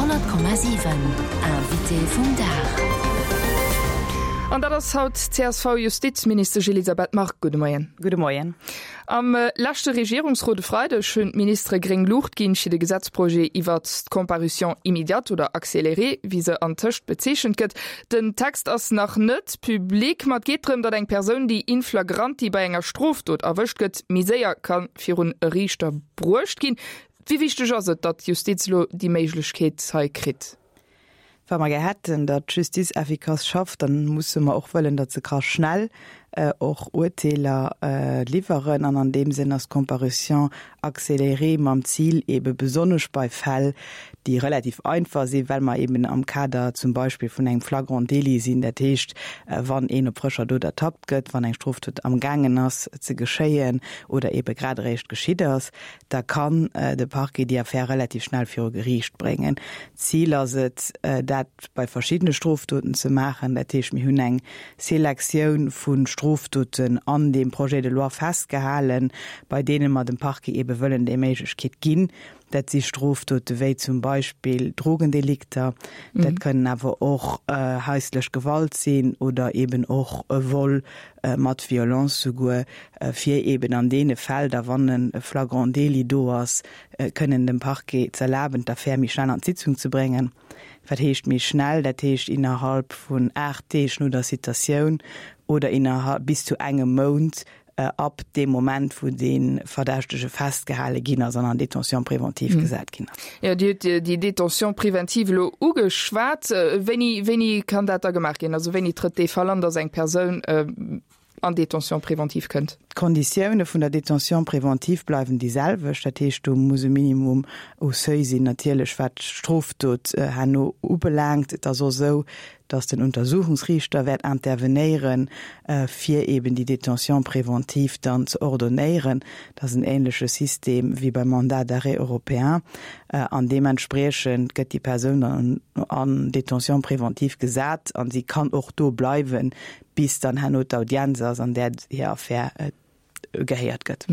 100,7 Invité vum Dag. An dat ass haut d'CSV-Justizministesch Elisabeth Margue. Gudde Moien. Gudde Moien. Am leschte Regierungsrot e Freideg hunn d'Ministere gréng Luucht ginn fir de Gesetzprojet iwwert d'Comparution immédiate oder accélérée, wéi se antëscht bezeechent gëtt. Den Text ass nach net public, ma et geet drëm, datt eng Persoun, déi in flagranti bei enger Strofdot erwëscht gëtt, méi séier ka virun e Riichter bruecht ginn. Wéi wichteg ass et, datt d'Justiz elo déi Méiglechkeet hei kritt? Wa mer gär hätten, datt d'Justiz effikass schafft, da musse mer och wëllen, datt se ka schnell och Urteeler liwweren. An an deem Sënn ass d'Comparution accélérée mam Zil eebe besonnesch bei Fäll, déi relativ einfach sinn, well mer eeben am Kader zum Beispill vun engem Flagrant délit sinn, dat heescht, wann een op frëscher Dot ertappt gëtt, wann eng Strofdot amgaangen ass ze geschéien oder eebe grad eréischt geschitt ass, da kann de Parquet déi Affär relativ schnell viru Geriicht bréngen. D'Zil ass et, dat bei verschiddene Strofdoten ze maachen. Dat heescht, mir hunn eng Selektioun vu Strofdoten an deem Projet de loi festgehalen, bei deene mer dem Parquet eebe wëllen déi Méiglechkeet ginn. Dat si Strofdote wéi zum Beispill Drogendelikter, dat kënnen awer och haislech Gewalt sinn oder eeben och Vol mat Violence souguer, fir eeben an deene Fäll da, wann e Flagrant délit do ass, kënnen dem Parquet z'erlaben, d'Affär méi schnell an d'Sitzung ze bréngen. Wat heescht méi schnell? Dat heescht innerhalb vun 8 Deeg no der Citatioun oder innerhalb bis zu engem Mount ab deem Moment, wou dee Verdächtege festgehale ginn ass an an Détention préventive gesat ginn ass. Jo, Dir hutt déi Détention préventive elo ugeschwat. Wéini, wéini kann dat da gemaach ginn? Also wéini trëtt dee Fall an, datt eng Persoun an Détention préventive kënnt? D'Konditioune vun der Détention préventive bleiwen déi selwecht. Dat heescht, do muss e Minimum u Seuil sinn, natierlech wat d'Strofdot herno ubelaangt. Et ass och esou, datt den Untersuchungsriichter wäert intervenéieren, fir eeben déi Détention préventive dann ze ordonnéieren. Dat ass en ähnleche System wéi beim Mandat d'arrêt européen. An deementspriechend gëtt déi Persoun dann an Détention préventive gesat a si kann och do bleiwen, bis dann herno d'Audienz ass, an där hir Affär gehéiert gëtt.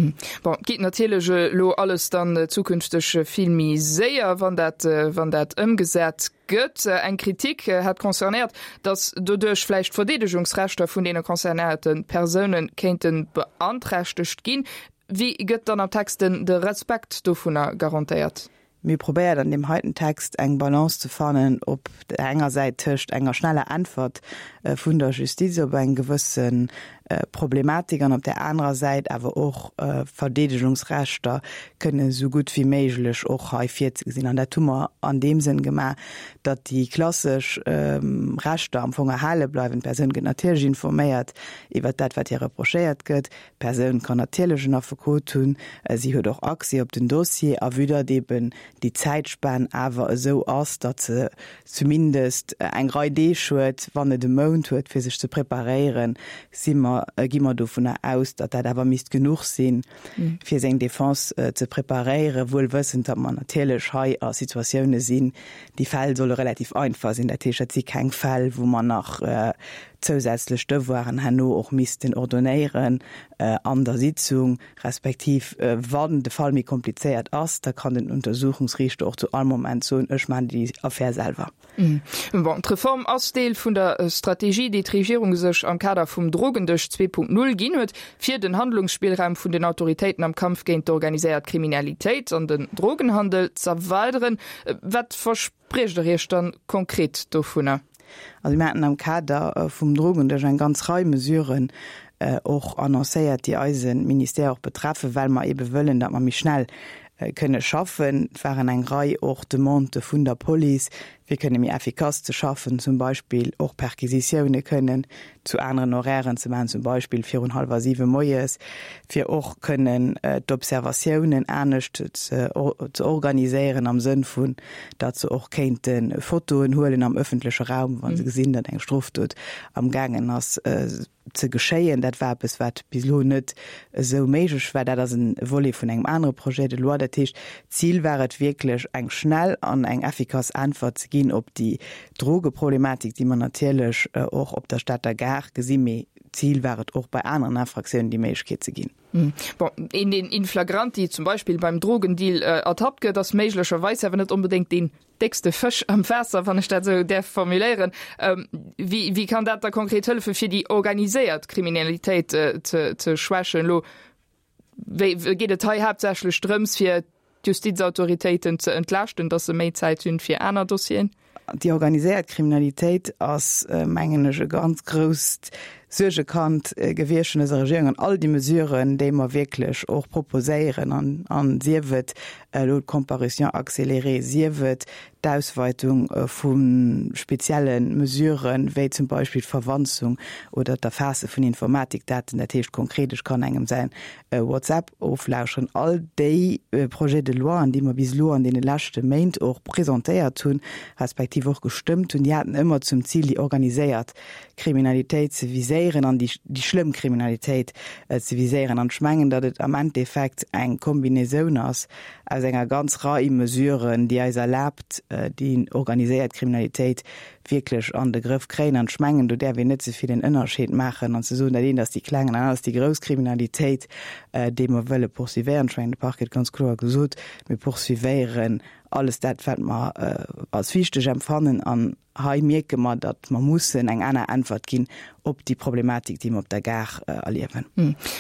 Bon, et geet natierlech elo alles dann zukünfteg vill méi séier, wann dat, wann dat ëmgesat gëtt. Eng Kritik hat concernéiert, datt doduerch vläicht d'Verdeedegungsrechter vun deene concernéierte Persoune kéinte beanträchtegt ginn. Wéi gëtt dann am Text den de Respekt dovunner garantéiert? Mir hu probéiert an deem heiten Text eng Balance ze fannen op der enger Säit tëscht enger schneller Äntwert vun der Justiz op eng gewësse Problematik an op där anerer Säit awer och Verdeedegungsrechter kënne esou gutt wéi méiglech och hei virzegesinn. An dat hu mer an deem Sënn gemaach, datt déi klassesch Rechter am Fong erhale bleiwen. D'Persoun gëtt natierlech informéiert iwwert dat, wat hir reprochéiert gëtt. D'Persoun kann natierlech en Affekot hunn, si huet och Accès op den Dossier, a vue datt eben déi Zäitspan awer esou ass, datt se zumindest eng Rei Deeg huet, wann net e Mount huet, fir sech ze preparéieren, si mer, gi mer dovunner aus, datt dat awer misst genuch sinn, fir seng Defense ze preparéieren, wuel wëssend, datt mer natierlech hei a Situatioune sinn, déi Fäll solle relativ einfach sinn, dat heescht, dat si keng Fäll, wou mer nach zousätzlech Devoiren herno och missten ordonnéieren an der Sitzung, respektiv wann de Fall méi komplizéiert ass, da kann den Untersuchungsriichter och zu all Moment soen, ech maachen déi Affär selwer. Bon, d'Reform ass Deel vun der Strategie, déi d'Regierung sech am Kader vum Drogendësch 2.0 ginn huet, fir den Handlungsspillraum vun den Autoritéiten am Kampf géint d'organiséiert Kriminalitéit an den Drogenhandel z'erweideren. Wat verspriecht Der Iech dann konkret dovunner? Also mir haten am Kader vum Drogendësch eng ganz Rei Mesuren och annoncéiert, déi eise Ministère och betreffen, well mer eebe wëllen, datt mer méi schnell kënne schaffen. Et waren eng Rei och Demandë vun der Police, fir kënne méi effikass ze schaffen, zum Beispill och Perquisitioune kënnen zu aneren Horairen ze maachen, zum Beispill virun hallwer siwe moies, fir och kënnen d'Observatiounen anescht ze organiséieren am Sënn vun, datt se och kéinte Fotoen huelen am ëffentleche Raum, wa se gesinn, datt eng Strofdot amgaangen ass ze geschéien. Dat war eppes, wat bis elo net esou méiglech war. Dat ass e Volet vun engem anere Projet de loi. Dat heescht, d'Zil war et wierklech, eng schnell an eng effikass Äntwert ze ginn op déi Drogeproblematik, déi mer natierlech och op der Stater Gare gesinn, mee. D'Zil war et och bei aneren Infraktiounen déi Méiglechkeet ze ginn. Bon, een deen in flagranti zum Beispill beim Drogendeal ertappt gëtt, ass méiglecherweis awer net onbedéngt deen déckste Fësch am Waasser, wann ech dat esou däerf formuléieren. Wéi, wéi kann dat da konkret hëllefen, fir déi organiséiert Kriminalitéit ze, ze schwächen? Elo wéi, geet et hei haaptsächlech drëms, fir d'Justizautoritéiten ze entlaaschten, datt se méi Zäit hunn fir aner Dossieren? Déi organiséiert Kriminalitéit ass, mengen ech, e ganz grousst Suergekand gewiescht vun dëser Regierung. An all déi Mesuren, déi mer wierklech och proposéieren, an sief et elo d'Comparution accélérée, sief et d'Ausweitung vu spezielle Mesuren, wéi zum Beispill d'Verwanzung oder d'Erfaasse vun Informatikdaten, dat heescht konkret, ech kann engem säin WhatsApp oflauschteren, all déi Projets de loi, déi mer bis elo an deene leschte Méint och presentéiert hunn, respektiv och gestëmmt hunn, déi haten ëmmer zum Zil, déi organiséiert Kriminalitéit ze viséieren an déi schlëmm Kriminalitéit ze viséieren. An ech mengen, datt et am Endeffekt eng Kombinaisoun ass aus enger ganz Rei Mesuren, déi eis erlaabt, déi organiséiert Kriminalitéit wierklech an de Grëff kréien. An ech mengen, do däerf een net ze vill en Ënnerscheed maachen an ze soen, dat eent ass déi kleng an dat anert ass déi grouss Kriminalitéit, déi mer wëlle poursuivéieren. Ech mengen, de Parquet huet ganz kloer gesot, mir poursuivéieren alles dat, wat mer als wichteg empfannen. An hei mierke mer, datt mer mussen eng aner Äntwert ginn op déi Problematik, déi mer op der Gare erliewen.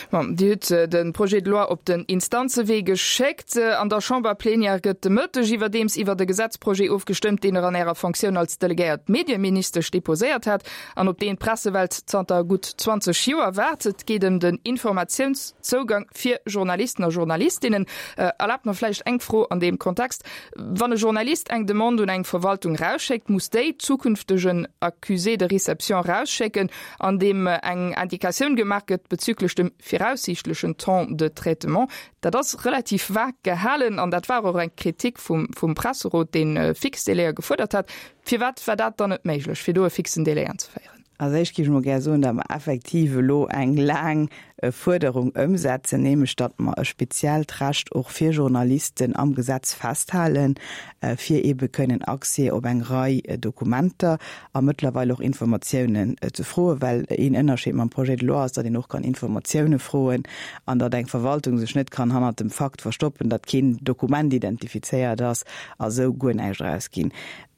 Bon, Dir hutt de Projet de loi op den Instanzewee geschéckt. An der Chamberplenière gëtt de Mëtteg iwwerdeems iwwert e Gesetzprojet ofgestëmmt, deen Der an Ärer Fonctioun als delegéiert Medieministesch deposéiert hat an op deen d'Pressewelt zanter gutt 20 Joer waart. Et geet ëm den Informatiounszougang fir Journalisten a Journalistinnen. Erlaabt mer vläicht eng Fro an deem Kontext, Wann e Journalist eng Demande un eng Verwaltung rausschéckt, muss déi zukünfteg en Accusé de réception rausschécken, an deem eng Indikatioun gemaach gëtt bezüglech dem viraussiichtlechen Temps de traitement. Dat ass relativ vag gehalen an dat war och eng Kritik vum, vum Presserot, dee fix Délaië gefuerdert hat. Firwat war dat dann net méiglech, fir do e fixen Délai anzeféieren? Als éischt géif ech mol gär soen, datt mer effektiv elo eng laang Fuerderung ëmsetzen, nämlech datt mer e speziellt Recht och fir Journalisten am Gesetz festhalen, fir eebe kënnen Accès op eng Rei Dokumenter a mëttlerweil och Informatiounen ze froen, well een Ënnerscheed mam Projet de loi ass, datt een och kann Informatioune froen an datt eng Verwaltung sech net kann hannert dem Fakt verstoppen, datt keen Dokument identifizéiert ass a sou guer näischt erausginn.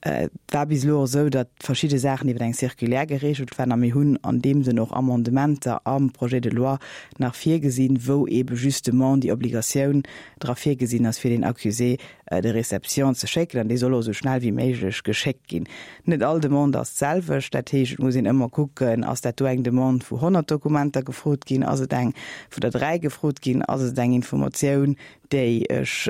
Et war bis elo och esou, datt verschidde Saachen iwwer eng Circulaire geregelt waren a mir hunn an deem Sënn och Amendementer am Projet de loi nach virgesinn, wou eebe justement déi Obligatioun dra virgesinn ass, fir den Accusé de réception ze schécken an dee soll och esou schnell wéi méiglech geschéckt ginn. Net all Demande ass d'selwecht, dat heescht, et muss een ëmmer kucken, ass dat do eng Demande, wou 100 Dokumenter gefrot ginn, ass et eng, wou der 3 gefrot ginn, ass et eng Informatioun, déi ech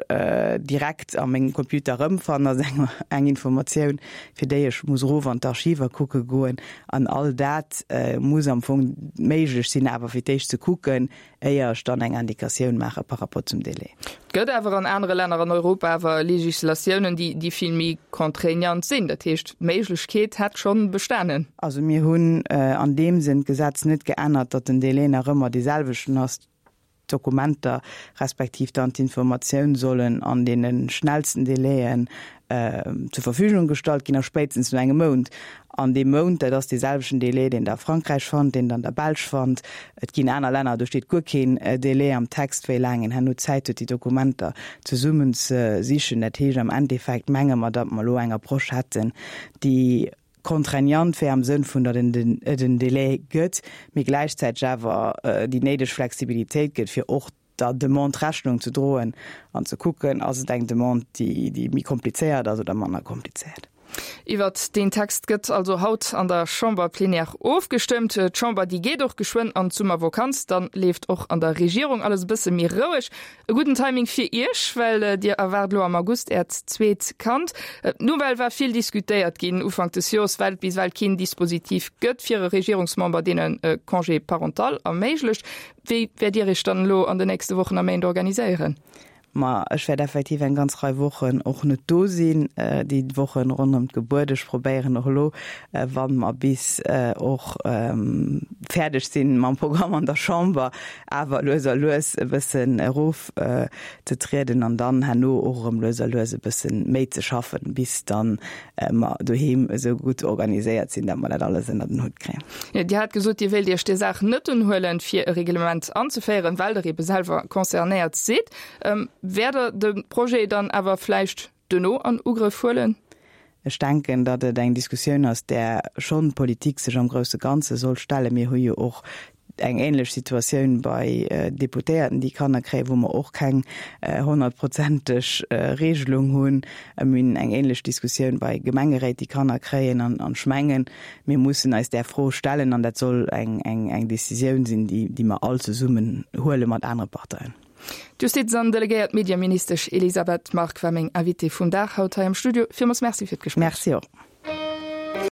direkt a mengem Computer erëmfannen, ass eng eng Informatioun, fir déi ech muss erof an d'Archiver kucke goen. An all dat muss am Fong méiglech sinn, awer fir d'éischt ze kucken, éier ech dann eng Indikatioun maache par rapport zum Délai. Et gëtt awer an anere Länner an Europa awer Legislatiounen, déi déi vill méi contraignant sinn. Dat heescht, d'Méiglechkeet hätt schonn bestanen. Also mir hunn an deem Sënn d'Gesetz net geännert, datt den Délai nach ëmmer deeselwechten ass. D'Dokumenter respektiv dann d'Informatioun sollen an deene schnellsten Délaiën zur Verfügung gestallt ginn, a spéitstens no engem Mount. An dee Mount, dat ass dee selwechten Délai, deen Der a Frankräich fannt, deen Der an der Belsch fannt. Et ginn aner Länner, do steet guer keen Délai am Text, wéi laang een herno Zäit huet, déi Dokumenter zesummen ze sichen. Dat heescht, am Endeffekt menge mer, datt mer elo eng Approche hätten, déi contraignant wär am Sënn vun, datt et en Délai gëtt, mee gläichzäiteg awer déi néideg Flexibilitéit gëtt, fir och der Demande Rechnung ze droen an ze kucken, ass et eng Demande, déi méi komplizéiert ass oder manner komplizéiert. Iwwert deen Text gëtt also haut an der Chamberplenière ofgestëmmt. D'Chamber, déi geet och geschwënn an d'Summervokanz. Dann leeft och an der Regierung alles e bësse méi roueg. E gudden Timing fir Iech, well Dir erwaart elo am August Äert zweet Kand. D'Nouvelle war vill diskutéiert ginn Ufank des Joers, well et bis ewell keen Dispositif gëtt fir e Regierungsmember, deen e Congé parental erméiglecht. Wéi wäert Dir Iech dann elo an de nächste Wochen a Méint organiséieren? Ma ech wäert effektiv eng ganz Rei Wochen och net do sinn, déi Wochen ronderëm d'Gebuert. Ech probéieren och elo, wa mer bis och fäerdeg sinn mam Programm an der Chamber, awer lues a lues e bëssen erof ze trieden an dann herno och erëm lues a lues e bëssen méi ze schaffen, bis dann mer doheem esou gutt organiséiert sinn, datt mer dat alles ënner den Hutt kréien. Dir hat gesot, Dir wéilt Iech där Saach net unhuelen, fir e Reglement anzeféieren, well Der ebe selwer concernéiert sidd. Wäert Der de Projet dann awer vläicht duerno an Ugrëff huelen? Ech denken, datt et eng Diskussioun ass, där schonn d'Politik sech am grousse Ganze soll stellen. Mir hu jo och eng ähnlech Situatioun bei Deputéierten, déi Kanner kréien, wou mer och keng honnertprozenteg Regelung hunn. Mir hunn eng ähnlech Diskussioun bei Gemengeréit, déi Kanner kréien. An ech mengen, mir mussen eis där Fro stellen an dat soll eng Décisioun sinn, déi mer all zesummen huele mat anere Parteien. D'Justiz an delegéiert Medieministesch Elisabeth Margue war meng Invitée vum Dag haut hei am Studio. Villmools Merci fir d'Gespréich. Merci och.